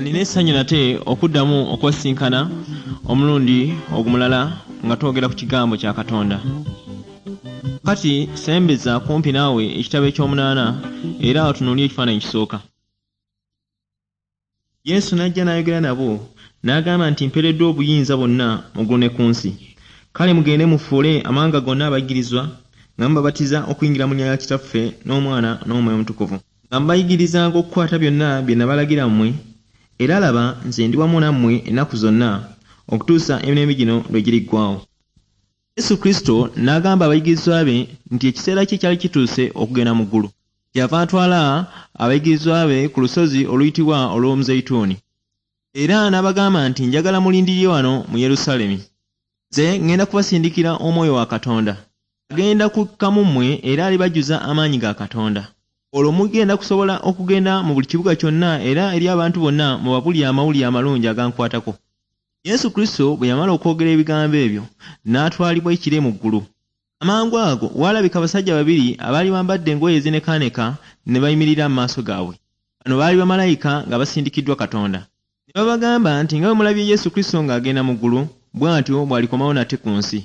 Nina essanyu nate okuddamu okwesinkana omulundi ogumulala nga twogera ku kigambo kya Katonda. Kati sembeza kumpi naawe ekitabo ekyomunaana era otunuulire ekifaananyi ekisooka. Yesu n'ajja n'ayogera nabo, n'agamba nti, Mpeereddwa obuyinza bwonna mu ggulu ne ku nsi. Kale mugende mufuule amawanga gonna abayigirizwa, nga mubabatiza okuyingira mu linnya lya Kitaffe n'Omwana n'Omwoyo Omutukuvu, nga mubayigirizanga okukwata byonna bye nabalagira mmwe, era laba, nze ndi wamu nammwe ennaku zonna, okutuusa emirembe gino lwe giriggwaawo. Yesu Kristo n'agamba abayigirizwa be nti ekiseera kye kyali kituuse okugenda mu ggulu. Kyeyava atwala abayigirizwa be ku lusozi oluyitibwa olw'Omuzeyituuni. Era n'abagamba nti, Njagala mulindirire wano mu Yerusaalemi. Nze ŋŋenda kubasindikira Omwoyo wa Katonda. Agenda kukka mu mmwe era alibajjuza amaanyi ga Katonda. Olwo mugenda kusobola okugenda mu buli kibuga kyonna era eri abantu bonna mubabuulire amawulire amalungi agankwatako. Yesu Kristo bwe yamala okwogera ebigambo ebyo, n'atwalibwa ekire mu ggulu. Amangu ago waalabika abasajja babiri abaali bambadde engoye ezinekaaneka ne bayimirira mu maaso gaabwe. Bano baali bamalayika nga basindikiddwa Katonda. Ne babagamba nti, Nga bwe mulabye Yesu Kristo ng'agenda mu ggulu, bw'atyo bw'alikomawo nate ku nsi.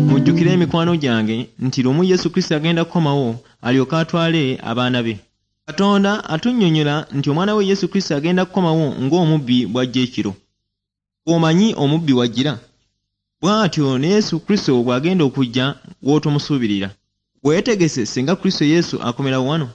Mujjukire mikwano gyange nti lumu Yesu Kristo agenda kukomawo alyoke atwale abaana be. Katonda atunnyonnyola nti omwana we Yesu Kristo agenda kukomawo ng'omubbi bw'ajja ekiro. Omanyi omubbi w'ajjira? Bw'atyo ne Yesu Kristo bw'agenda okujja w'otomusuubirira. Weetegese singa Kristo Yesu akomerawo wano?